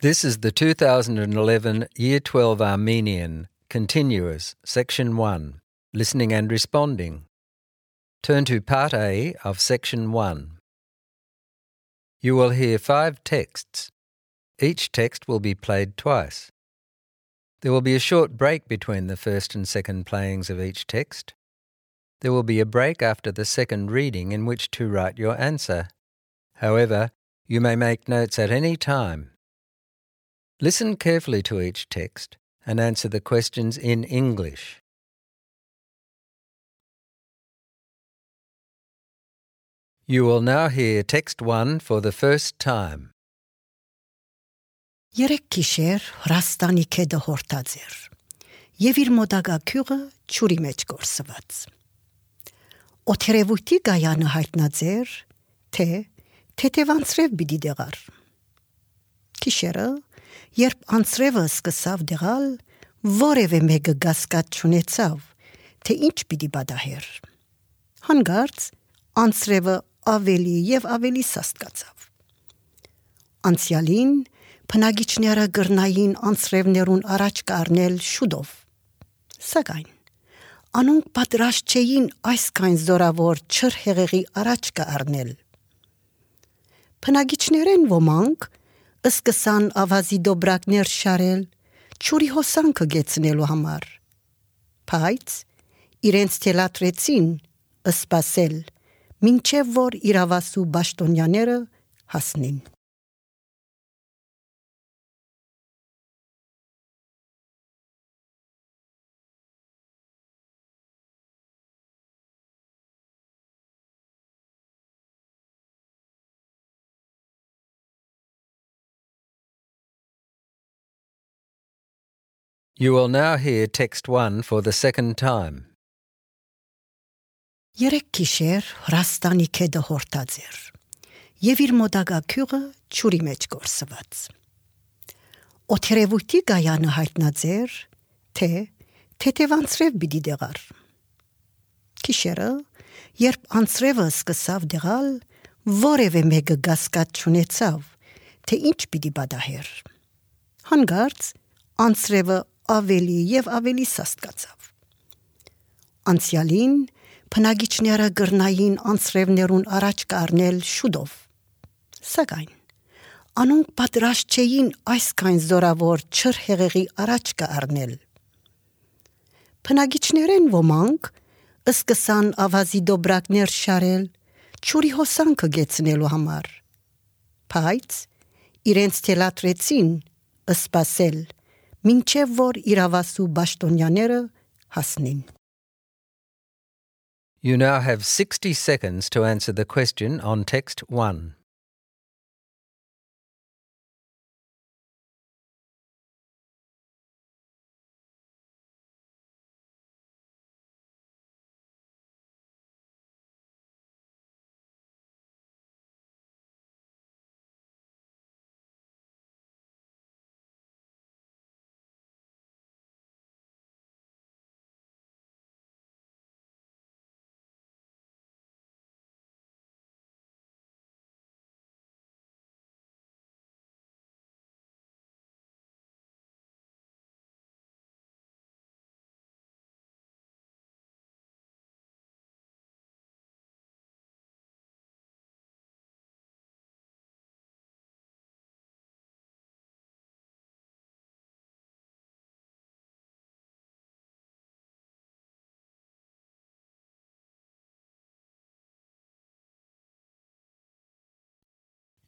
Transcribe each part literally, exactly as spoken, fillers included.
This is the two thousand eleven Year twelve Armenian, Continuous, Section one, Listening and Responding. Turn to Part A of Section one. You will hear five texts. Each text will be played twice. There will be a short break between the first and second playings of each text. There will be a break after the second reading in which to write your answer. However, you may make notes at any time. Listen carefully to each text and answer the questions in English. You will now hear text one for the first time. Երեք գիշեր Հրաստանի քեդը հորտած էր, եւ իր մոդագա քյուղը ճուրի մեջ գործված։ Օթերևույթի գայանը հայտնած էր, թե թեթևանցրև բիդի դեղար։ Գիշերը, երբ անցրևը սկսավ դեղալ, որևէ մեկը գասկած չունեցավ, թե ինչ պիտի բադահեր։ Հանգարց անցրևը ավելի եւ ավելի սաստկացավ։ Անցյալին Փնագիչները գրնային անցրևներուն առաջ կառնել շուտով։ Սակայն անոնք պատրաստ չէին այսքան զորավոր չրհեղեղի առաջ կառնել։ Փնագիչներեն ոմանք սկսան ավազի դոբրակներ շարել ճուրի հոսանքը գեցնելու համար։ Բայց իրենց թելատրեցին սպասել, մինչև որ իրավասու բաշտոնյաները հասնին։ You will now hear text one for the second time. Երեք գիշեր Հրաստանի քեդը հորտած էր, եւ իր մոդագա քյուղը ճուրի մեջ գործված։ Օթերևույթի գայանը հայտնած էր, թե թեթևանցրև բիդի դեղար։ Գիշերը, երբ անցրևը սկսավ դեղալ, որևէ մեկը գասկած չունեցավ, թե ինչ պիտի բադահեր։ Հանգարց անցրևը ավելի եւ ավելի սաստկացավ։ Անցյալին Փնագիչները գրնային անցրևներուն առաջ կառնել շուտով։ Սակայն անոնք պատրաստ չէին այսքան զորավոր չրհեղեղի առաջ կառնել։ Փնագիչներեն ոմանք սկսան ավազի դոբրակներ շարել ճուրի հոսանքը գեցնելու համար։ Բայց իրենց թելատրեցին սպասել, մինչև որ իրավասու բաշտոնյաները հասնին։ You now have sixty seconds to answer the question on text one.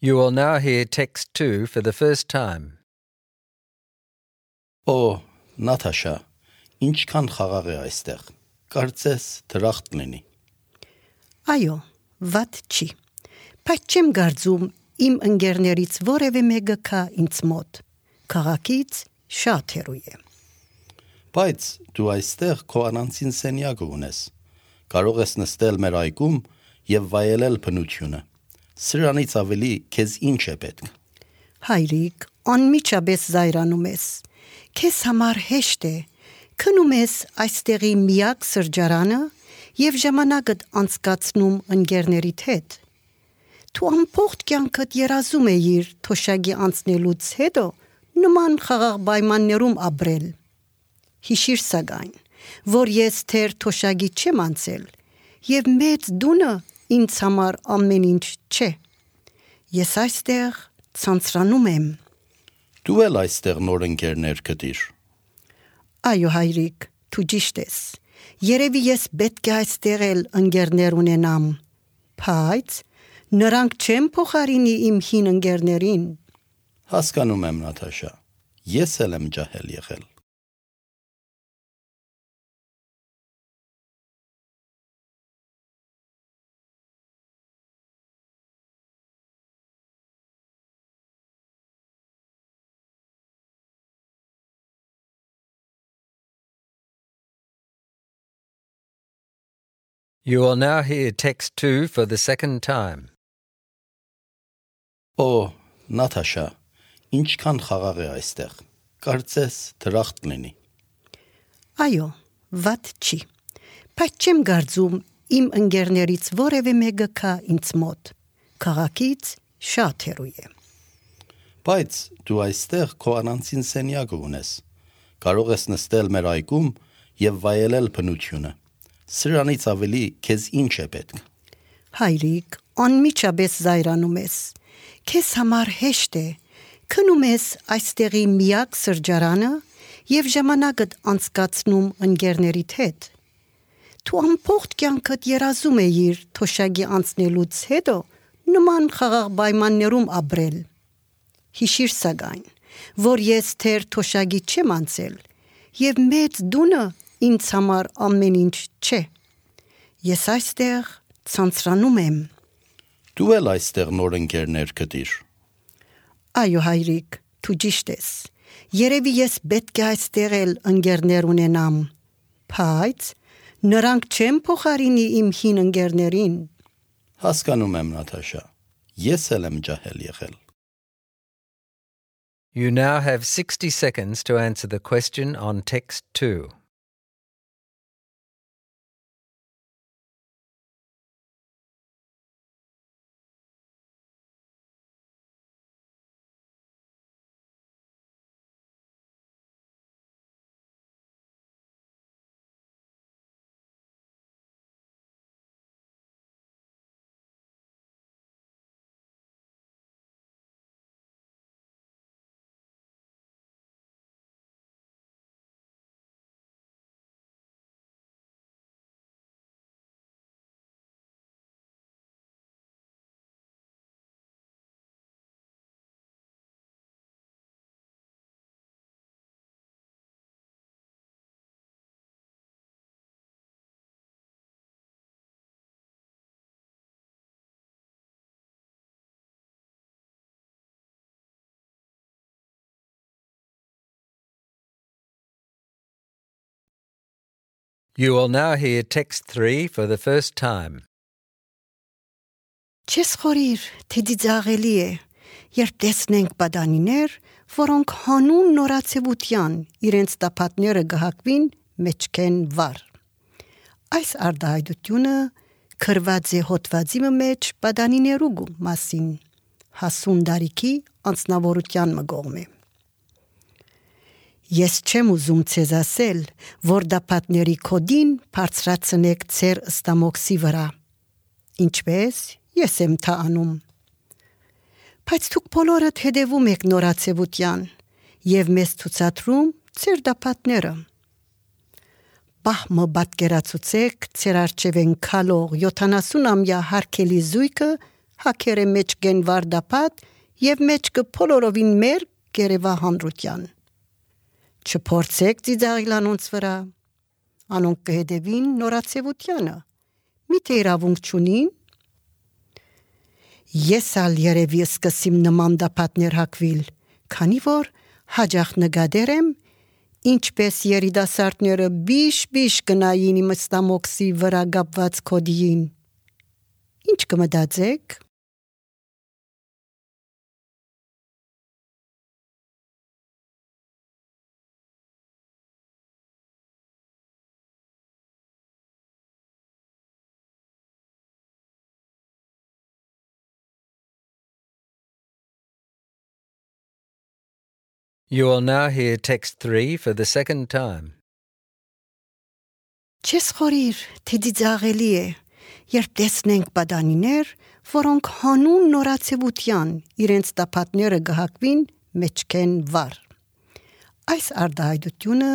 You will now hear text two for the first time. Օ, Նաթաշա, ինչքան խաղաղ է այստեղ։ Կարծես դրախտ լինի։ Այո, վատ չի։ Բայց չեմ կարծում իմ ընկերներից որևէ մեկը կա ինձ մոտ։ Քաղաքից շատ հեռու է։ Բայց դու այստեղ քո անանցին սենյակը ունես։ Կարող ես նստել մեր այգում եւ վայելել բնությունը։ Սրանից ավելի քեզ ինչ է պետք։ Հայրիկ, անմիջապես զայրանում ես։ Քեզ համար հեշտ է։ Քնում ես այստեղի միակ սրճարանը եւ ժամանակդ անցկացնում ընկերներիդ հետ։ Դու ամբողջ կյանքդ երազում էիր թոշակի անցնելուց հետո նման խաղաղ պայմաններում ապրել։ Հիշիր սակայն, որ ես թեր թոշակի չեմ անցել, եւ մեծ դունը ինձ համար ամեն ինչ չէ։ Ես այստեղ ցանցրանում եմ։ Դու էլ այստեղ նոր ընկերներ գտիր։ Այո, հայրիկ, դու ճիշտ ես։ Երևի ես պետք է այստեղ էլ ընկերներ ունենամ, բայց նրանք չեմ փոխարինի իմ հին ընկերներին։ Հասկանում եմ, Նաթաշա, ես էլ եմ ջահել եղել։ You will now hear text two for the second time. Օ, Նաթաշա, ինչքան խաղաղ է այստեղ։ Կարծես դրախտ լինի։ Այո, վատ չի։ Բայց չեմ կարծում իմ ընկերներից որևէ մեկը կա ինձ մոտ։ Քաղաքից շատ հեռու է։ Բայց դու այստեղ քո առանձին սենյակը ունես։ Կարող ես նստել մեր այգում եւ վայելել բնությունը։ Սրանից ավելի քեզ ինչ է պետք։ Հայրիկ, անմիջապես զայրանում ես։ Քեզ համար հեշտ է։ Քնում ես այստեղի միակ սրճարանը եւ ժամանակդ անցկացնում ընկերներիդ հետ։ Դու ամբողջ կյանքդ երազում էիր թոշակի անցնելուց հետո նման խաղաղ պայմաններում ապրել։ Հիշիր սակայն, որ ես թեր թոշակի չեմ անցել եւ մեծ դունը ինձ համար ամեն ինչ չէ։ Ես այստեղ ցանցրանում եմ։ Դու էլ այստեղ նոր ընկերներ գտիր։ Այո, հայրիկ, դու ճիշտ ես։ Երևի ես պետք է այստեղ էլ ընկերներ ունենամ, բայց նրանք չեմ փոխարինի իմ հին ընկերներին։ Հասկանում եմ, Նաթաշա, ես էլ եմ ջահել եղել։ You now have sixty seconds to answer the question on text two. You will now hear text three for the first time. Չես խորիր, թե դիձաղելի է, երբ տեսնենք պատանիներ, որոնք հանուն նորացևության իրենց տապատները գահակվին մեջքեն վար։ Այս արդահայտությունը քրված է հոտվածի մեջ պատանիներու մասին, հասուն դարիքի անձնավորության մգողմ է։ Ես չեմ ուզում ցեզ ասել, որ դապատների կոդին բարձրացնեք ձեր ստամոքսի վրա, ինչպես ես եմ դա անում։ Բայց դուք բոլորդ հետևում եք նորացևության եւ մեզ ցուցադրում ձեր դապատները։ Բահմը պատկերացուցեք ձեր արջևեն քալող յոթանասուն-ամյա հարկելի զույգը հակերը մեջ գենվար դապատ եւ մեջքը բոլորովին մեր գերեվա հանրության։ Չփորձեք ծիծաղել անոնց վրա, անոնք կհետևին նորացևությանը, միթե իրավունք չունին։ Ես ալ երևի սկսիմ նման դապատներ հակվիլ, քանի որ հաջախ նկատել եմ, ինչպես երիտասարդները բիշ-բիշ գնային իմ ստամոքսի վրա կապված կոդիին։ Ինչ կմտածեք։ You will now hear text three for the second time. Չես խորիր, թե դիձաղելի է, երբ տեսնենք բադանիներ, որոնք հանուն նորացևության իրենց տապատները գահակվին մեջքեն վար։ Այս արդահայտությունը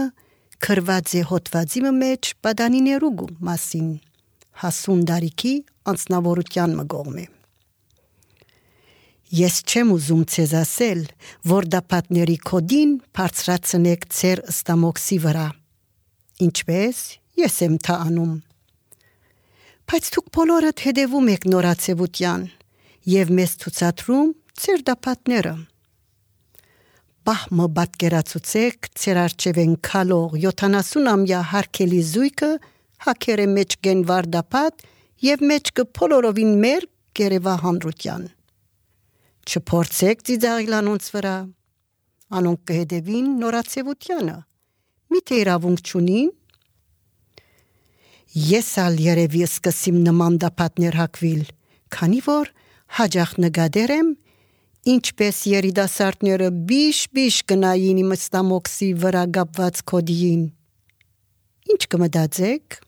քրված է հոտվածի մեջ բադանիներու մասին, հասուն դարիքի անձնավորության մգողմ է։ Ես չեմ ուզում ցեզ ասել, որ դապատների կոդին բարձրացնեք ձեր ըստամոքսի վրա, ինչպես ես եմ դա անում։ Բայց դուք բոլորդ հետևում եք նորացևության եւ մեզ ցուցադրում ձեր դապատները։ Բահմը պատկերացուցեք ձեր արջևեն քալող յոթանասուն-ամյա հարկելի զույգը հակերը մեջ գենվար դապատ եւ մեջքը բոլորովին մեր գերեվահանրության։ Չփորձեք ծիծաղել անոնց վրա, անոնք կհետևին նորացևությանը, միթե իրավունք չունին։ Ես ալ երևի սկսիմ նման դապատներ հակվիլ, քանի որ հաջախ նգադեր եմ, ինչպես երիտասարդները բիշ-բիշ գնային իմ ըստամոքսի վրա գապված կոդիին։ Ինչ կմտածեք։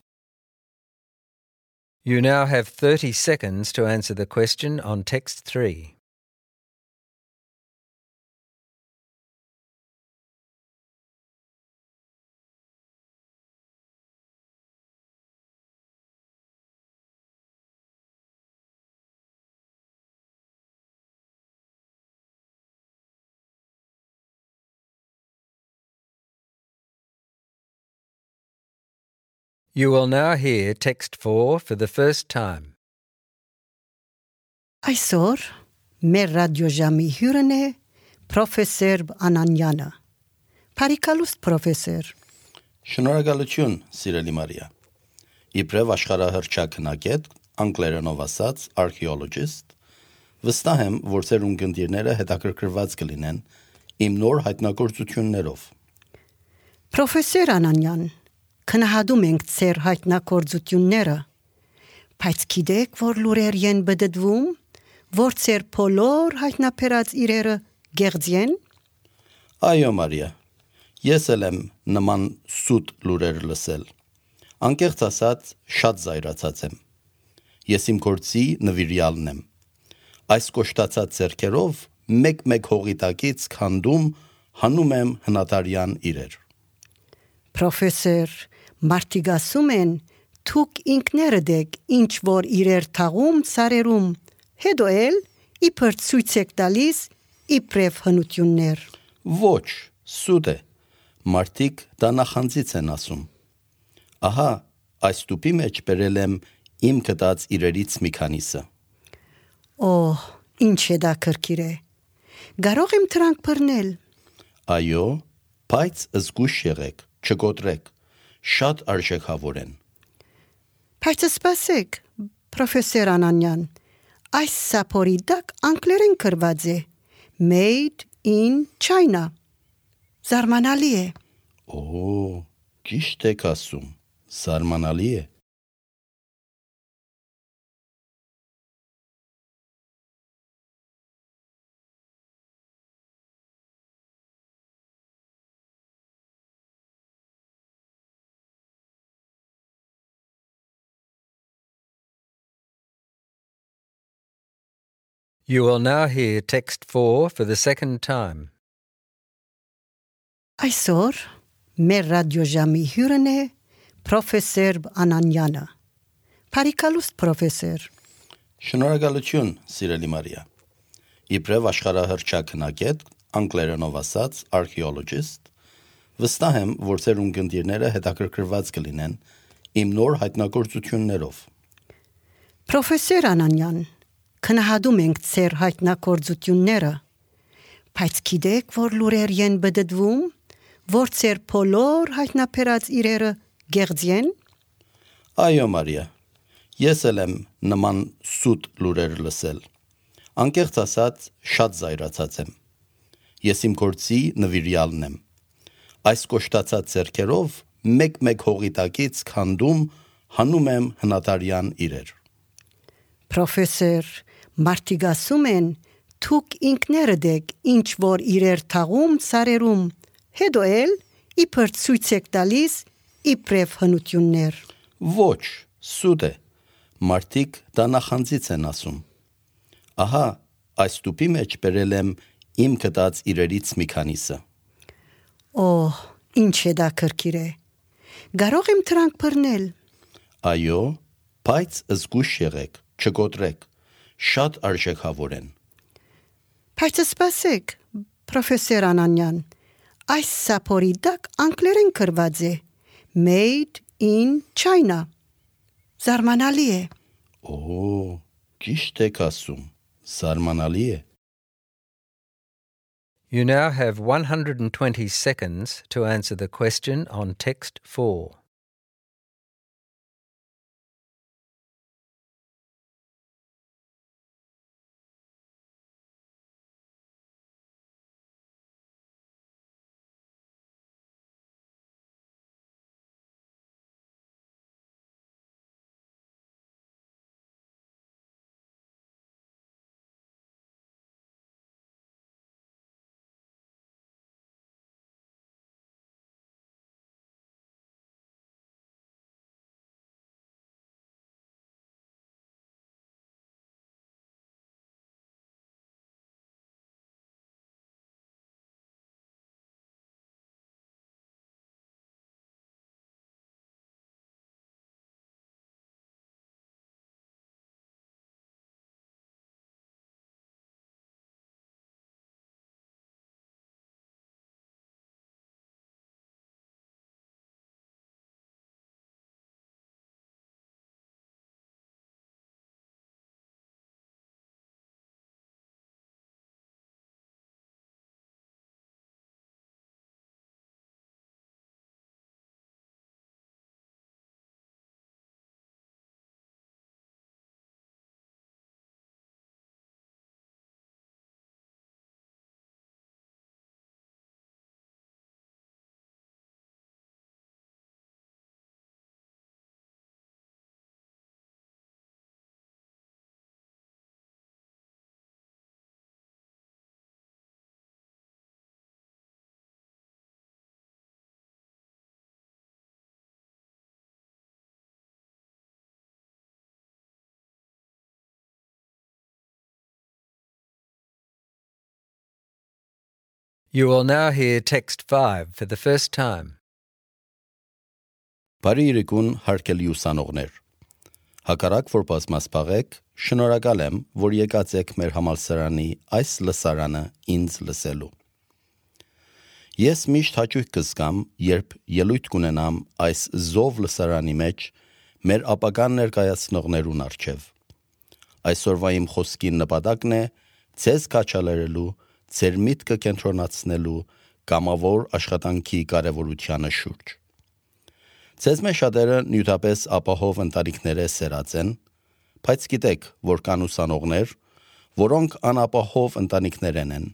You now have thirty seconds to answer the question on text three. You will now hear text four for the first time. Այսօր մեր ռադիոժամի հյուրն է պրոֆեսոր Անանյանը։ Բարիկալուստ պրոֆեսոր։ Շնորհակալություն, սիրելի Մարիա։ Իբրև աշխարհահռչակնագետ, անգլերենով ասած archaeologist, վստահ եմ, որ ձեր ունկնդիրները հետաքրքրված կլինեն իմ նոր հայտնագործություններով։ Պրոֆեսոր Անանյան, քնահատում ենք ձեր հայտնագործությունները, բայց գիտեք, որ լուրեր են բդդվում, որ ձեր բոլոր հայտնաբերած իրերը գեղձի են։ Այո, Մարիա, ես էլ եմ նման սուտ լուրեր լսել։ Անկեղծ ասած, շատ զայրացած եմ։ Ես իմ գործի նվիրյալն եմ։ Այս կոշտացած ձեռքերով մեկ-մեկ հողի տակից քանդում հանում եմ հնատարյան իրեր։ Պրոֆեսոր, մարդիկ ասում են, դուք ինքներդ եք ինչ որ իրեր թաղում սարերում, հետո էլ իբր ցույց եք տալիս իբրև հնություններ։ Ոչ, սուտ է, մարդիկ դա նախանձից են ասում։ Ահա, այս տուփի մեջ բերել եմ իմ գտած իրերից մի քանիսը։ Օհ, ինչ է դա քրքիր է։ Կարող եմ դրանք բռնել։ Այո, բայց զգույշ եղեք, չկոտրեք, շատ արժեքավոր են։ Բայց սպասեք, պրոֆեսոր Անանյան, այս սափորի դակ անգլերեն գրված է Made in China։ Զարմանալի է։ Օ, ճիշտ եք ասում, զարմանալի է։ You will now hear text four for the second time. Այսօր մեր ռադիոժամի հյուրն է պրոֆեսոր Անանյանը։ Բարիկալուստ պրոֆեսոր։ Շնորհակալություն, սիրելի Մարիա։ Իբրև աշխարհահռչակնագետ, անգլերենով ասած archaeologist, վստահ եմ, որ ձեր ունկնդիրները հետաքրքրված կլինեն իմ նոր հայտնագործություններով։ Պրոֆեսոր Անանյան, քնահատում ենք ձեր հայտնագործությունները, բայց գիտեք, որ լուրեր են բդդվում, որ ձեր բոլոր հայտնաբերած իրերը գեղձի են։ Այո, Մարիա, ես էլ եմ նման սուտ լուրեր լսել։ Անկեղծ ասած, շատ զայրացած եմ։ Ես իմ գործի նվիրյալն եմ։ Այս կոշտացած ձեռքերով մեկ-մեկ հողի տակից քանդում հանում եմ հնատարյան իրեր։ Պրոֆեսոր, մարդիկ ասում են, թուք ինքներդ եք ինչ որ իրեր թաղում սարերում, հետո էլ իբր ցույց եք տալիս իբրև հնություններ։ Ոչ, սուտ է, մարդիկ դա նախանձից են ասում։ Ահա, այս տուփի մեջ բերել եմ իմ գտած իրերից մի քանիսը։ Օհ, ինչ է դա քրքիր է։ Կարող եմ դրանք բռնել։ Այո, բայց զգույշ եղեք, չկոտրեք, շատ արժեքավոր են։ Բայց սպասեք, պրոֆեսոր Անանյան, այս սափորի դակ անգլերեն գրված է Made in China։ Զարմանալի է։ Օ, ճիշտ եք ասում, զարմանալի է։ You now have one hundred twenty seconds to answer the question on text four. You will now hear text five for the first time. Բարի երեկոն հարգելի ուսանողներ։ Հակառակ որ բազմասպաղեք, շնորհակալ եմ, որ եկած եք մեր համալսարանի այս լսարանը ինձ լսելու։ Ես միշտ հաճույք կզգամ, երբ ելույթ կունենամ այս զով լսարանի մեջ մեր ապագան ներկայացնողներուն առջև։ Այսօրվա իմ խոսքի նպատակն է ձեզ կաչալերելու, ձեր միտքը կենտրոնացնելու կամավոր աշխատանքի կարևորությանը շուրջ։ Ձեզ մեջ շատերը նյութապես ապահով ընտանիքներ սերած են, բայց գիտեք, որ կան ուսանողներ, որոնք անապահով ընտանիքներ են։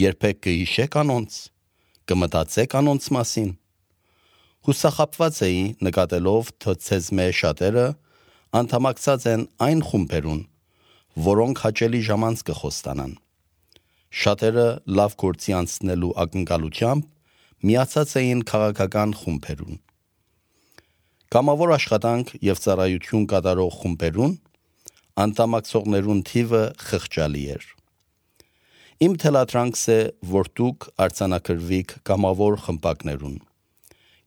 Երբեք կհիշեք անոնց, կմտածեք անոնց մասին։ Հուսախաբված էի նկատելով, թե ձեզ մեջ շատերը անդամակցած են այն խումբերուն, որոնք հաճելի ժամանց կխոստանան։ Շատերը լավ գործի անցնելու ակնկալությամբ միացած էին քաղաքական խումբերուն։ Կամավոր աշխատանք եւ ծառայություն կատարող խումբերուն անդամակցողներուն թիվը խղճալի էր։ Իմ թելադրանքս է, որ դուք արձանագրվիք կամավոր խմբակներուն։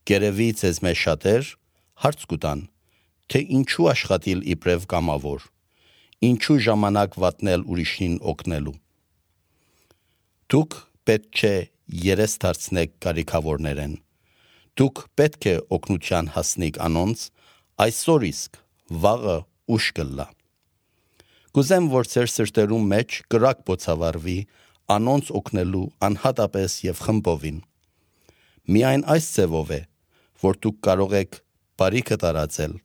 Գերևի ձեզ մեջ շատեր հարց կուտան, թե ինչու աշխատիլ իբրև կամավոր, ինչու ժամանակ վատնել ուրիշին օգնելու։ Դուք պետք չէ երես դարձնեք կարիքավորներեն։ Դուք պետք է օգնության հասնիք անոնց, այսօր իսկ վաղը ուշ կլա։ Կուզեմ, որ ձեր սրտերում մեջ կրակ բոցավարվի անոնց օգնելու անհատապես եւ խմբովին։ Միայն այս ձևով է, որ դուք կարող եք բարիքը տարածել,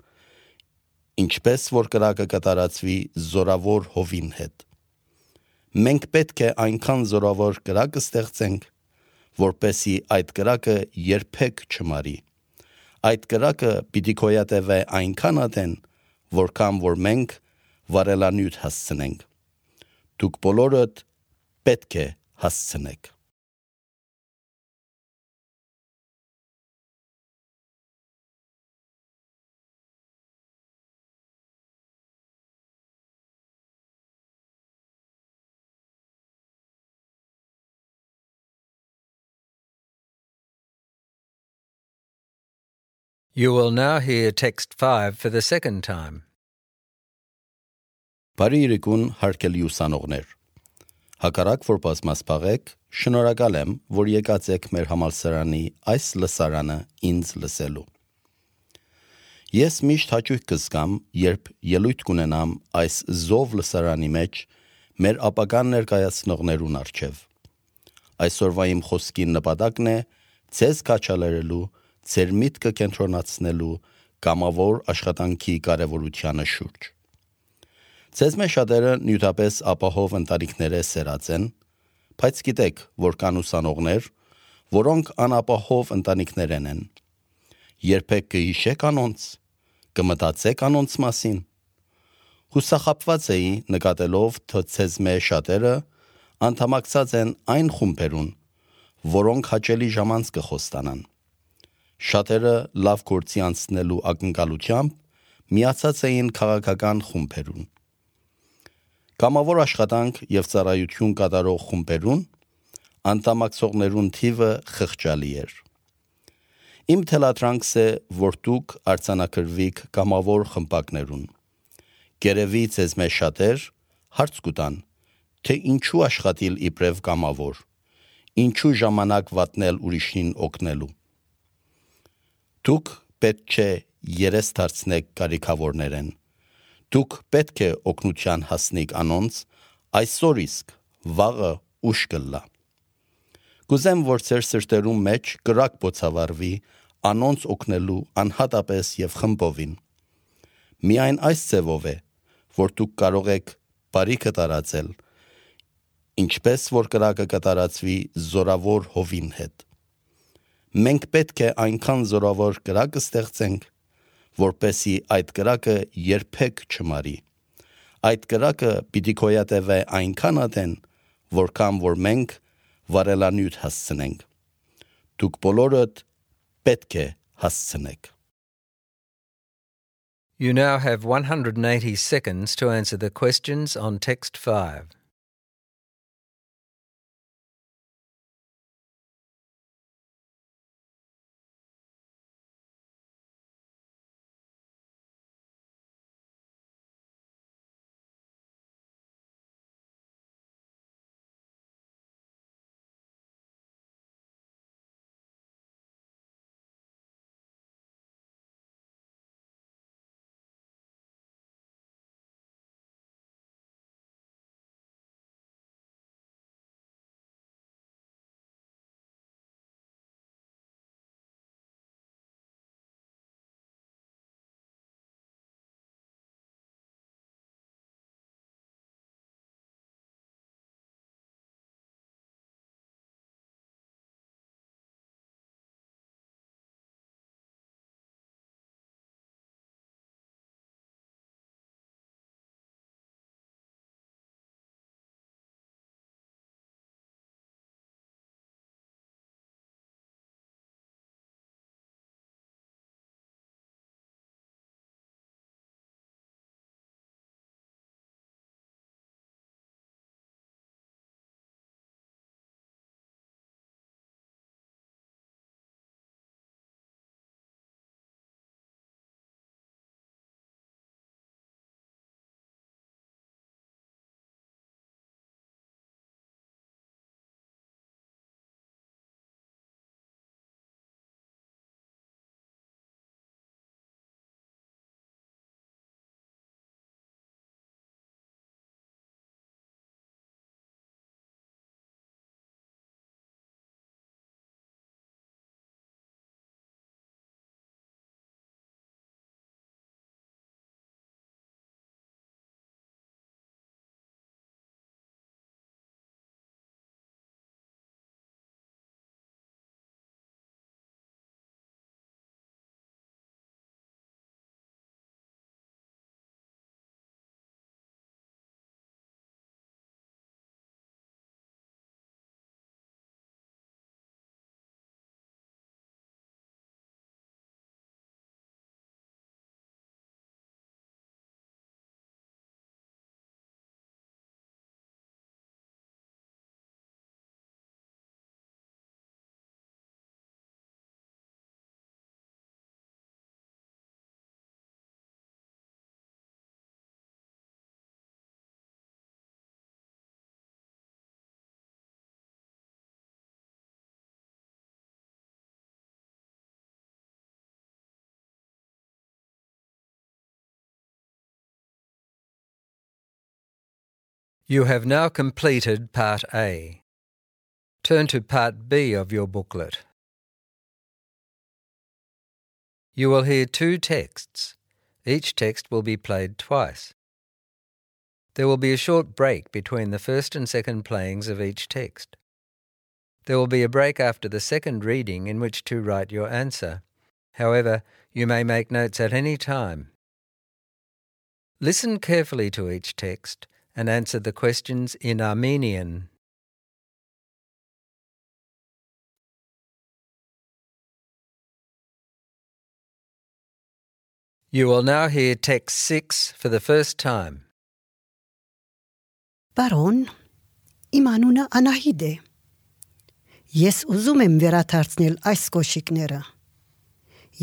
ինչպես որ կրակը կտարածվի զորավոր հովին հետ։ Մենք պետք է այնքան զորավոր կրակ ստեղծենք, որպեսի այդ կրակը երբեք չմարի։ Այդ կրակը պիտի գոյատևե այնքան ադեն, որքան որ մենք վարելանյութ հասցնենք։ Դուք բոլորդ պետք է հասցնեք։ You will now hear text five for the second time. Բարի իրիկուն հարգելի ուսանողներ։ Հակառակ որ բազմասփաղեք, շնորհակալ եմ, որ եկած եք մեր համալսարանի այս լսարանը ինձ լսելու։ Ես միշտ հաճույք կզգամ, երբ ելույթ կունենամ այս զով լսարանի մեջ մեր ապագան ներկայացնողներուն առջև։ Այսօրվա իմ խոսքի նպատակն է ցեզ քաչալերելու, ձեր միտքը կենտրոնացնելու կամավոր աշխատանքի կարևորությանը շուրջ։ Ձեզ մեջ շատերը նյութապես ապահով ընտանիքներ սերած են, բայց գիտեք, որ կան ուսանողներ, որոնք անապահով ընտանիքներ են։ Երբեք կհիշեք անոնց, կմտածեք անոնց մասին։ Հուսախաբված էի նկատելով, թե ձեզ մեջ շատերը անդամակցած են այն խումբերուն, որոնք հաճելի ժամանց կխոստանան։ Շատերը լավ գործի անցնելու ակնկալությամբ միացած էին քաղաքական խումբերուն։ Կամավոր աշխատանք եւ ծառայություն կատարող խումբերուն անդամակցողներուն թիվը խղճալի էր։ Իմ թելադրանքս է, որ դուք արձանագրվիք կամավոր խմբակներուն։ Գերևի ձեզ մեջ շատեր հարց կուտան, թե ինչու աշխատիլ իբրև կամավոր, ինչու ժամանակ վատնել ուրիշին օգնելու։ Դուք պետք չէ երես դարձնեք կարիքավորներեն։ Դուք պետք է օգնության հասնիք անոնց, այսօր իսկ վաղը ուշ կլա։ Կուզեմ, որ ձեր սրտերում մեջ կրակ բոցավարվի անոնց օգնելու անհատապես եւ խմբովին։ Միայն այս ձևով է, որ դուք կարող եք բարիքը տարածել, ինչպես որ կրակը կտարածվի զորավոր հովին հետ։ Մենք պետք է այնքան զորավոր կրակ ստեղծենք, որպեսի այդ կրակը երբեք չմարի։ Այդ կրակը պիտի գոյատևե այնքան ադեն, որքան որ մենք վարելանյութ հասցնենք։ Դուք բոլորդ պետք է հասցնեք։ You now have one hundred eighty seconds to answer the questions on text five. You have now completed Part A. Turn to Part B of your booklet. You will hear two texts. Each text will be played twice. There will be a short break between the first and second playings of each text. There will be a break after the second reading in which to write your answer. However, you may make notes at any time. Listen carefully to each text and answer the questions in Armenian. You will now hear text six for the first time. Բարոն, իմ անունը Անահիտ է։ Ես ուզում եմ վերադարձնել այս կոշիկները։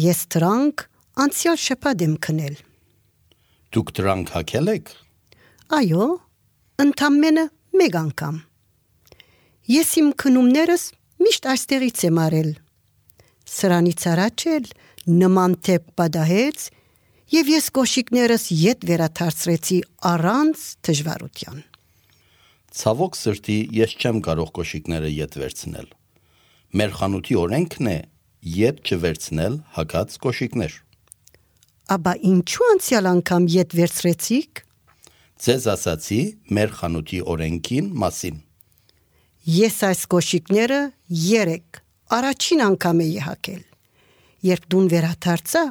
Ես դրանք անցյալ շաբաթ եմ քնել։ Դուք դրանք հագել եք։ Այո, ընդամենը մեկ անգամ։ Ես իմ քնումներս միշտ այստեղից եմ արել։ Սրանից առաջ էլ նման թեփ պատահեց, եւ ես կոշիկներս ետ վերադարձրեցի առանց դժվարության։ Ցավոք սրտի ես չեմ կարող կոշիկները ետ վերցնել։ Մեր խանութի օրենքն է ետ չվերցնել հագած կոշիկներ։ Աբա ինչու անցյալ անգամ ետ վերցրեցիք։ Ձեզ ասացի մեր խանութի օրենքին մասին։ Ես այս կոշիկները երեք առաջին անգամ էի հագել։ Երբ դուն վերադարձա,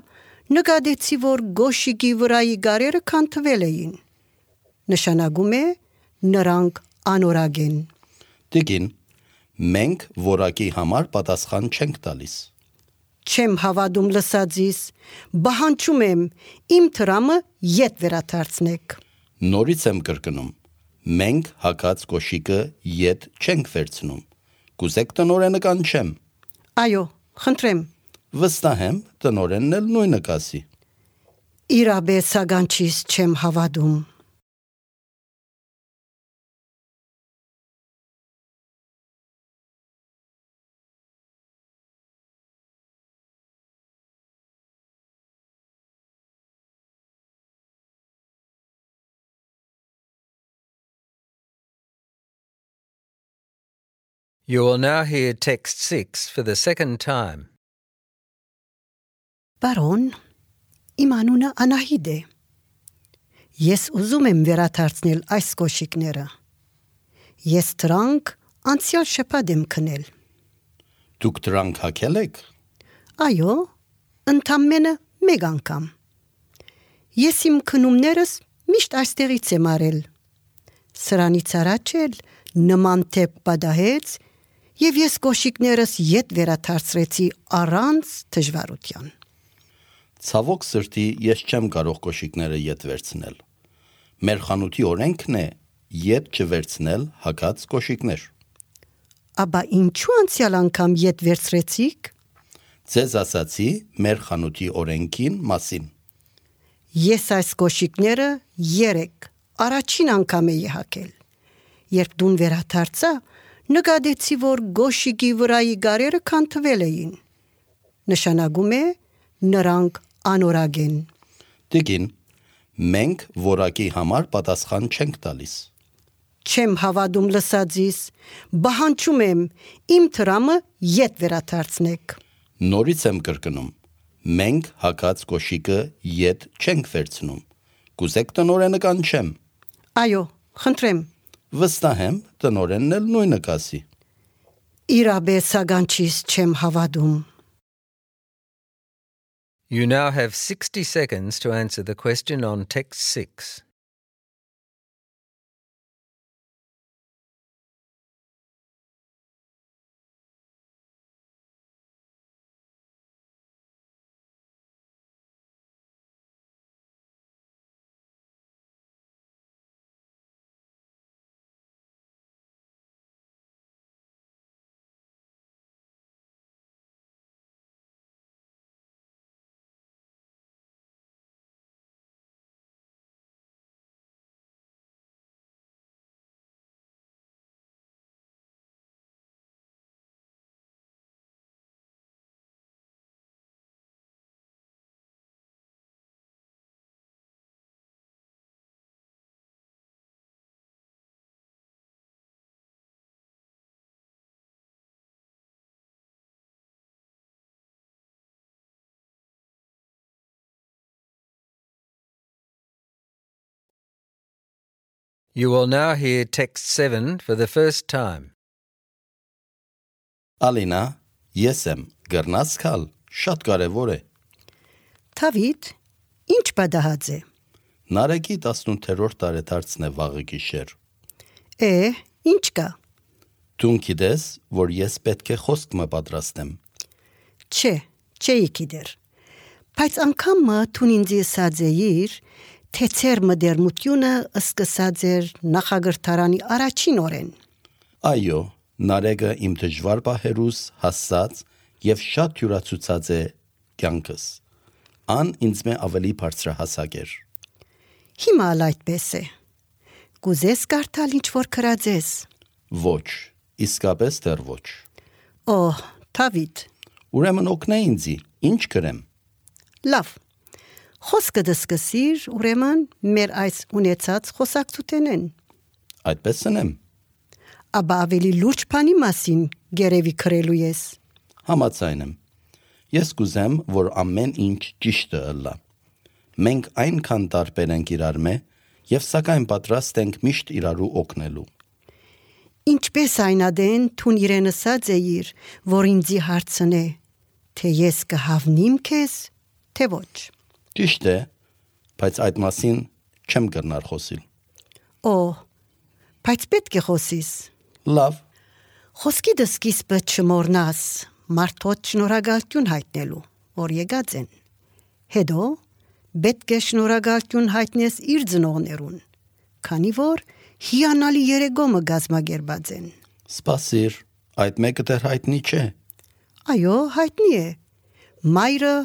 նկատեցի, որ գոշիկի վրայի գարերը քանթվել էին։ Նշանակում է նրանք անորակ են։ Տիկին, մենք որակի համար պատասխան չենք տալիս։ Չեմ հավատում լսածիս, բահանջում եմ իմ տրամը ետ վերադարձնեք։ Նորից եմ կրկնում, մենք հագած կոշիկը ետ չենք վերցնում։ Կուզեք տնօրենը կանչեմ։ Այո, խնդրեմ։ Վստահ եմ տնօրենն էլ նույնը կասի։ Իրապես ագանչիս չեմ հավատում։ You will now hear text six for the second time. Բարոն, իմ անունը Անահիտ է։ Ես ուզում եմ վերադարձնել այս կոշիկները։ Ես դրանք անցյալ շաբաթ եմ քնել։ Դուք դրանք հագել եք։ Այո, ընդամենը մեկ անգամ։ Ես իմ քնումներս միշտ այստեղից եմ արել։ Սրանից առաջ էլ նման թեփ պատահեց, եւ ես կոշիկներս ետ վերադարձրեցի առանց դժվարության։ Ցավոք սրտի ես չեմ կարող կոշիկները ետ վերցնել։ Մեր խանութի օրենքն է ետ չվերցնել հագած կոշիկներ։ Աբա ինչու անցյալ անգամ ետ վերցրեցիք։ Ձեզ ասացի մեր խանութի օրենքին մասին։ Ես այս կոշիկները երեք առաջին անգամ էի հագել։ Երբ դուն վերադարձա, նկատեցի, որ գոշիկի վրայի գարերը քանթվել էին։ Նշանակում է նրանք անորակ են։ Տիկին, մենք որակի համար պատասխան չենք տալիս։ Չեմ հավատում լսածիս, բահանջում եմ իմ տրամը ետ վերադարձնեք։ Նորից եմ կրկնում, մենք հագած կոշիկը ետ չենք վերցնում։ Կուզեք տնօրենը կանչեմ։ Այո, խնդրեմ։ Վստահ եմ տնօրենն էլ նույնը կասի։ Իրապես ագանչիս չեմ հավատում։ You now have sixty seconds to answer the question on text six. You will now hear text seven for the first time. Ալինա, ես եմ, գրնաս քալ, շատ կարևոր է։ Թավիթ, ինչ պատահած է։ Նարեկի տասնութերորդ տարեդարձն է վաղը գիշեր։ Է, ինչ կա։ Դու գիտես, որ ես պետք է խոսք մը պատրաստեմ։ Չէ, չէի գիտեր։ Բայց անգամը թուն ինձ ասած էիր, թե ծեր մդերմությունը սկսած էր նախագրթարանի առաջին օրեն։ Այո, Նարեկը իմ դժվար պահերուս հասած եւ շատ յուրացուցած է կյանքս։ Ան ինձ մե ավելի բարձրահասակ էր։ Հիմա ալ այդպես է։ Կուզես կարդալ ինչ որ քրածես։ Ոչ, իսկապես դեռ ոչ։ Օհ, Թավիթ, Ուրեմն օգնե ինձի, ինչ գրեմ։ լավ։ Խոսքը դսկսիր, ուրեմն մեր այս ունեցած խոսակցութենեն։ Այդպես ընեմ։ Աբա ավելի լուրջ բանի մասին գերեվի քրելու ես։ Համաձայն եմ։ Ես կուզեմ, որ ամեն ինչ ճիշտը ըլլա։ Մենք այնքան տարբեր ենք իրար մե, եւ սակայն պատրաստ ենք միշտ իրարու օգնելու։ Ինչպես այնադեն թուն իրեն ասած էիր, որ ինձի հարցնե, թե ես կհավնիմ քեզ, թե ոչ։ Ճիշտ է, բայց այդ մասին չեմ կրնար խոսիլ։ Օ, բայց պետք է խոսիս։ Լավ, Խոսքի դսկիզբը չմոռնաս, մարդոց շնորհակալություն հայտնելու, որ եկած են։ Հետո պետք է շնորհակալություն հայտնես իր ծնողներուն, քանի որ հիանալի երեգոմը գազմագերբած են։ սպասիր, այդ մեկը դեռ հայտնի չէ։ Այո, հայտնի է։ Մայրը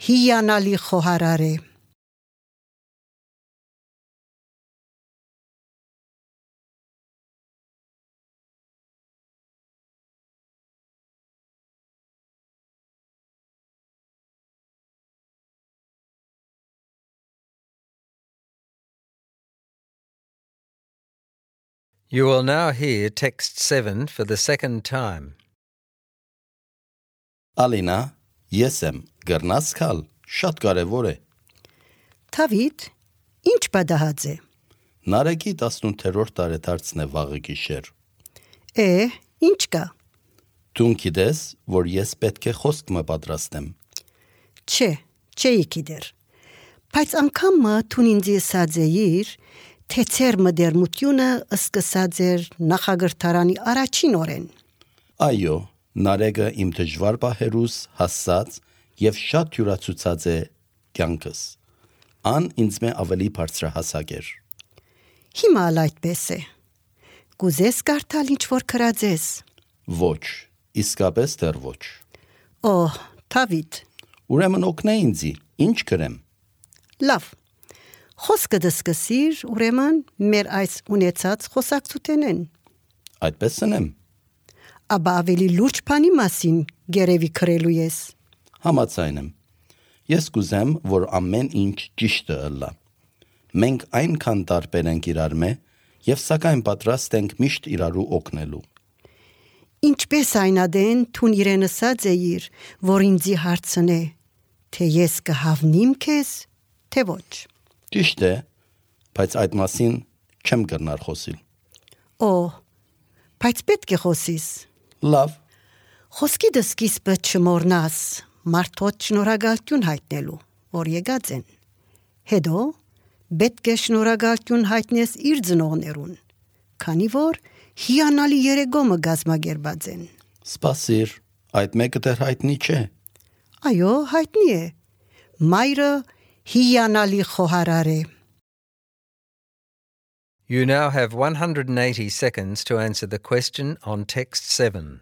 հիանալի խոհարար է։ You will now hear text seven for the second time. Ալինա, ես եմ, գրնաս քալ, շատ կարևոր է։ Թավիթ, ինչ պատահած է։ Նարեկի տասնութերորդ տարեդարձն է վաղը գիշեր։ Է, ինչ կա։ Դու գիտես, որ ես պետք է խոսք մը պատրաստեմ։ Չէ, չէի գիտեր։ Բայց անգամը թուն ինձ ասած էիր, թե ծեր մդերմությունը սկսած էր նախագրթարանի առաջին օրեն։ Այո, Նարեկը իմ դժվար պահերուս հասած եւ շատ յուրացուցած է կյանքս։ Ան ինձ մե ավելի բարձրահասակ էր։ Հիմա ալ այդպես է։ Կուզես կարդալ ինչ որ քրածես։ Ոչ, իսկապես դեռ ոչ։ Օհ, Թավիթ, Ուրեմն օգնե ինձի, ինչ գրեմ։ լավ։ Խոսքը դսկսիր, ուրեմն մեր այս ունեցած խոսակցութենեն։ Այդպես ընեմ։ Աբա ավելի լուրջ բանի մասին գերեվի քրելու ես։ Համաձայն եմ։ Ես կուզեմ, որ ամեն ինչ ճիշտը ըլլա։ Մենք այնքան տարբեր ենք իրար մե, եւ սակայն պատրաստ ենք միշտ իրարու օգնելու։ Ինչպես այնադեն թուն իրեն ասած էիր, որ ինձի հարցնե, թե ես կհավնիմ քեզ, թե ոչ։ Ճիշտ է, բայց այդ մասին չեմ կրնար խոսիլ։ Օ, բայց պետք է խոսիս։ Լավ, Խոսքի դսկիզբը չմոռնաս, մարդոց շնորհակալություն հայտնելու, որ եկած են։ Հետո պետք է շնորհակալություն հայտնես իր ծնողներուն, քանի որ հիանալի երեգոմը գազմագերբած են։ սպասիր, այդ մեկը դեռ հայտնի չէ։ Այո, հայտնի է։ Մայրը հիանալի խոհարար է։ You now have one hundred eighty seconds to answer the question on text seven.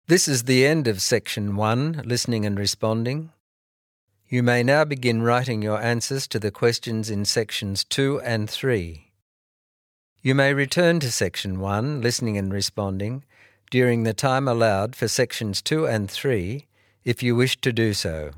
This is the end of section one, listening and responding. You may now begin writing your answers to the questions in sections two and three. You may return to section one, listening and responding, during the time allowed for sections two and three if you wish to do so.